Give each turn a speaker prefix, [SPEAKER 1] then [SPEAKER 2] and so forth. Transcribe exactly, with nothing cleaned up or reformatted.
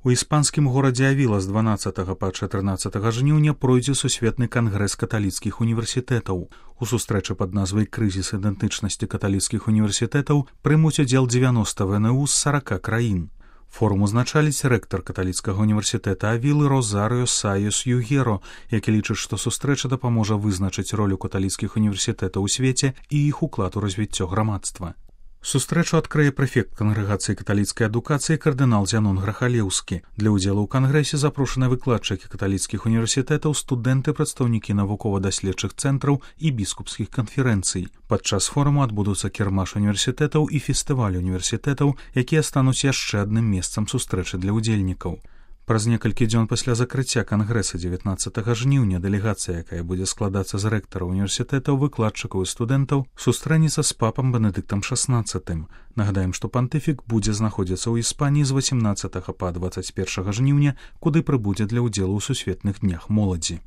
[SPEAKER 1] У іспанскім горадзе Авіла з дванаццатага па чатырнаццатага жніўня пройдзе сусветны кангрэс каталіцкіх універсітэтаў. У сустрэчы пад назвай «Крызіс ідэнтычнасці каталіцкіх універсітэтаў» прымуць удзел дзевяноста вэ эн у з сарака краін. Форум узначаліць рэктар каталіцкага універсітэта Авілы Розарыо Саёс Югеро, які лічыць, што сустрэча дапаможа вызначыць ролю каталіцкіх універсітэтаў у свеце і іх уклад у развіццё грамадства. Сустрэчу адкрые прэфект кангрэгацыі каталіцкай адукацыі кардынал Зянон Грахалеўскі. Для ўдзелу ў кангрэсе запрошаны выкладчыкі каталіцкіх універсітэтаў, студэнты, прадстаўнікі навукова-даследчых цэнтраў і біскупскіх канферэнцый. Падчас форуму адбудуцца кірмаш універсітэтаў і фестываль універсітэтаў, якія стануць яшчэ адным месцам сустрэчы для ўдзельнікаў. Праз некалькі дзён пасля закрыцця кангрэса дзевятнаццатага жніўня дэлегацыя, якая будзе складацца з рэктараў універсітэтаў, выкладчыкаў і студэнтаў, сустрэнецца з папам Бенедыктам шаснаццатым. Нагадаем, што пантыфік будзе знаходзіцца ў Іспаніі з васямнаццатага па дваццаць першага жніўня, куды прыбудзе для ўдзелу ў сусветных днях моладзі.